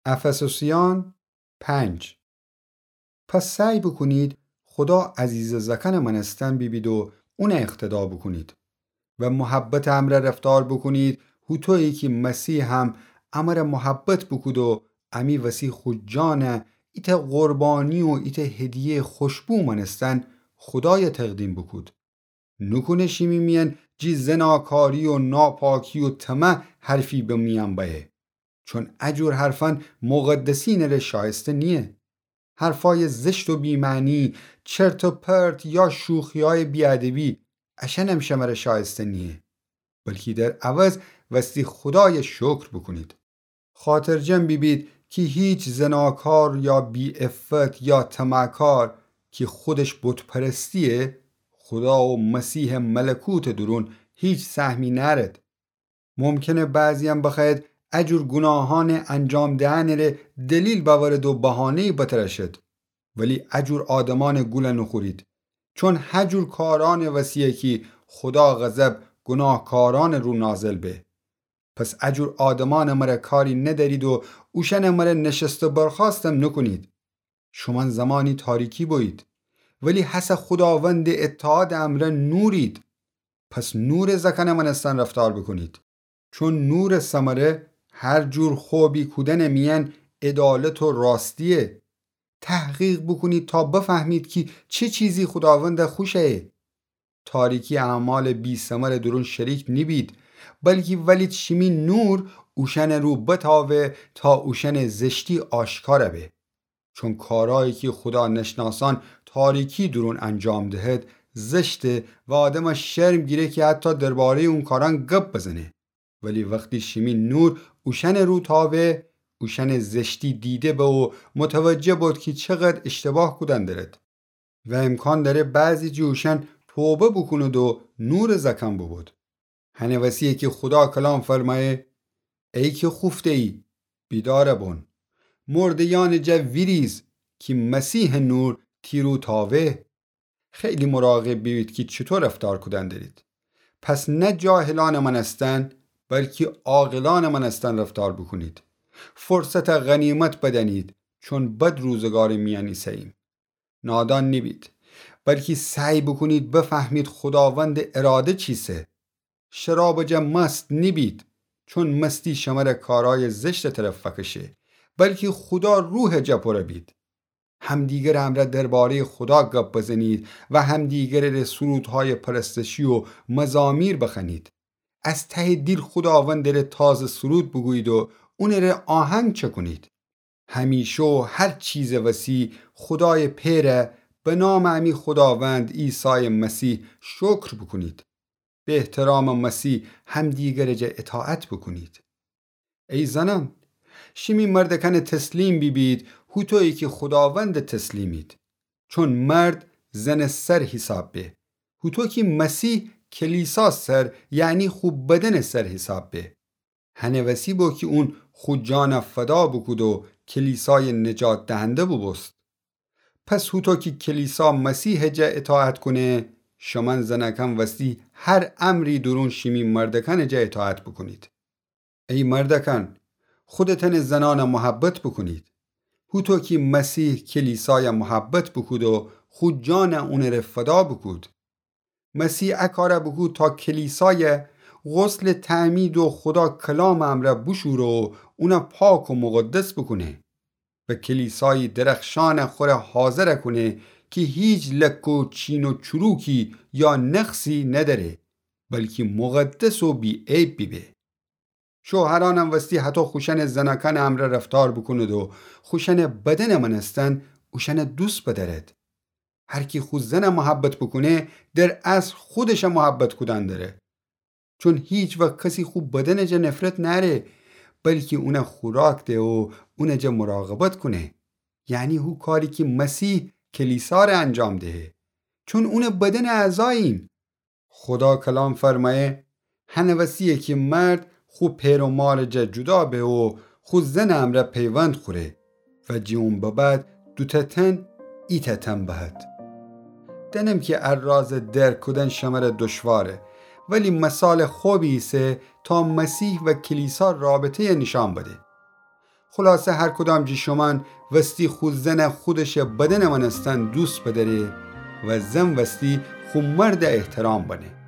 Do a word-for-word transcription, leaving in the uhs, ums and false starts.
افسوسیان پنج. پس سعی بوکونید خودا عزیزٚ زأکأنٚ مأنستن بیبید و اونَ اقتدا بوکونید و محبتٚ امرأ رفتار بوکونید، هوطویی کی مسیح هم امرَ محبت بوکود و امی وسی خو جانَ ایتأ قربانی و ایتأ هدیه‌یٚ خوشبو مأنستن خودایَ تقدیم بوکود. نوکونه شیمی میأن جی زناکاری و ناپاکی و طمع حرفی به میأن بأیه، چون اجور حرفأن مقدسینٚ ره شایسته نییه. حرفأیٚ زشت و بی‌معنی، چرت و پرت یا شوخیأیٚ بی‌ادبی، اشأنم شمره شایسته نییه، بلکی در عوض وستی خودایَ شکر بوکونید. خاطرجم بیبید کی هیچ زناکار یا بی‌عفت یا طمعکار کی خودش بت‌پرستییه، خودا و مسیحٚ ملکوتٚ دورون هیچ سهمی نأرد. ممکنه بعضی‌یأن بخوأید اجور گوناهأنٚ انجام دئنٚ ره دلیل بأورد و بهانه‌یی بترأشد، ولی اجور آدمأنٚ گولَ نوخورید، چون هجور کارأنٚ وسی‌یه کی خودا غضب گوناهکارأنٚ رو نازل به. پس اجور آدمأنٚ مره کاری ندأرید و اوشأنٚ مره نشست و برخاستم نوکونید. شومأن زمانی تاریکی بویید، ولی هسه خوداوندٚ اتحادٚ امرأ نورید. پس نورٚ زأکأنٚ مأنستن رفتار بوکونید، چون نورٚ ثمره هر جور خوبی کودنٚ میأن عدالت و راستییه. تحقیق بوکونید تا بفهمید کی چه چیزی خوداوندَ خوش ایه. تاریکی اعمالٚ بی‌ثمرٚ دورون شریک نیبید، بلکی ولید شیمی نور اوشأنٚ رو بتأوه تا اوشأنٚ زشتی آشکار به. چون کارأیی کی خودا نشناسأن تاریکی دورون انجام دهد، زشته و آدمَ شرم گیره کی حتی درباره‌یٚ اون کارأن گب بزنه. ولی وختی شیمی نور اوشأنٚ رو تأوه، اوشأنٚ زشتی دیده به و متوجه بید کی چقدر اشتباه کودن درد. و امکان دأره بعضی جٚه اوشأن توبه بوکوند و نورٚ زأکأن بوبود. هنٚ وسی‌یه کی خودا کلام فرمأیه: ای کی خوفته‌یی، بیدار بون. مرده‌یأنٚ جا ویریز کی مسیحٚ نور تی رو تأوه. خیلی مراقب بیبید کی چوطو رفتار کودن درید. پس نه جاهلأنٚ مأنستن، بلکی عاقلأنٚ مأنستن رفتار بوکونید. فرصتَ غنیمت بدأنید، چون بد روزگارٚ میأن ایسه‌ییم. نادان نیبید، بلکی سعی بوکونید بفهمید خوداوندٚ اراده چیسه. شرابٚ جا مست نیبید، چون مستی شمره کارأیٚ زشتٚ طرف فکشه، بلکی خودا روحٚ جا پوره بید. همدیگرٚ امرأ درباره‌یٚ خودا گب بزنید و همدیگرٚ ره سرودهایٚ پرستشی و مزامیر بخوأنید. از تهٚ دیل خوداوندٚ ره تازه سرود بوگویید و اونٚ ره آهنگ چکونید. همیشه و هر چیزٚ وسی خودایٚ پئرَ به نامٚ امی خوداوند عیسایٚ مسیح شکر بوکونید. به احترامٚ مسیح همدیگرٚ جا اطاعت بوکونید. ای زنأن، شیمی مردکأنٚ تسلیم بیبید، هوطویی کی خوداوندٚ تسلیمید. چون مرد زنٚ سر حیساب به، هوطو کی مسیح کلیسا سر، یعنی خو بدنٚ سر حیساب به. هنٚ وسی بو کی اون خو جانَ فدا بوکود و کلیسایٚ نجات دهنده بوبوست. پس هوطو کی کلیسا مسیحٚ جا اطاعت کونه، شومأن زنأکأن وستی هر امری دورون شیمی مردکأنٚ جا اطاعت بوکونید. ای مردکأن، خودتأنٚ زنأنَ محبت بوکونید، هوطو کی مسیح کلیسایَ محبت بوکود و خو جانَ اونٚ ره فدا بوکود. مسیح ا کارَ بوکود تا کلیسایَ غسلٚ تعمید و خودا کلامٚ امرأ بوشوره و اونَ پاک و مقدس بوکونه و کلیسایی درخشانٚ خوره حاضر کونه کی هیچ لکه و چین و چروکی یا نقصی ندأره، بلکی مقدس و بی‌عیب بیبه. شوهرأنم وستی هطو خوشأنٚ زنأکأنٚ امرأ رفتار بوکوند و خوشأنٚ بدنٚ مأنستن اوشأنَ دوست بدأرد. هر کی خو زنَ محبت بوکونه، در اصل خودشَ محبت کودن دره. چون هیچ وقت کسی خو بدنٚ جا نفرت نأره، بلکی اونَ خوراک ده و اونٚ جا مراقبت کونه. یعنی هو کاری کی مسیح کلیسا ره انجام دهه. چون اونٚ بدنٚ اعضاییم. خودا کلام فرمأیه: هنٚ وسی‌یه کی مرد خو پئر و مارٚ جا جدا به و خو زنٚ امرأ پیوند خوره و جٚه اون به بعد دوتأ تن ایتأ تن بهد. دأنم کی ا رازٚ درک کودن شمره دشواره، ولی مثالٚ خوبی ایسه تا مسیح و کلیسا رابطه‌یَ نیشأن بده. خلاصه هر کدام جٚه شومأن وستی خو زنَ خودشٚ بدنٚ مأنستن دوست بدأره و زن وستی خو مردَ احترام بنه.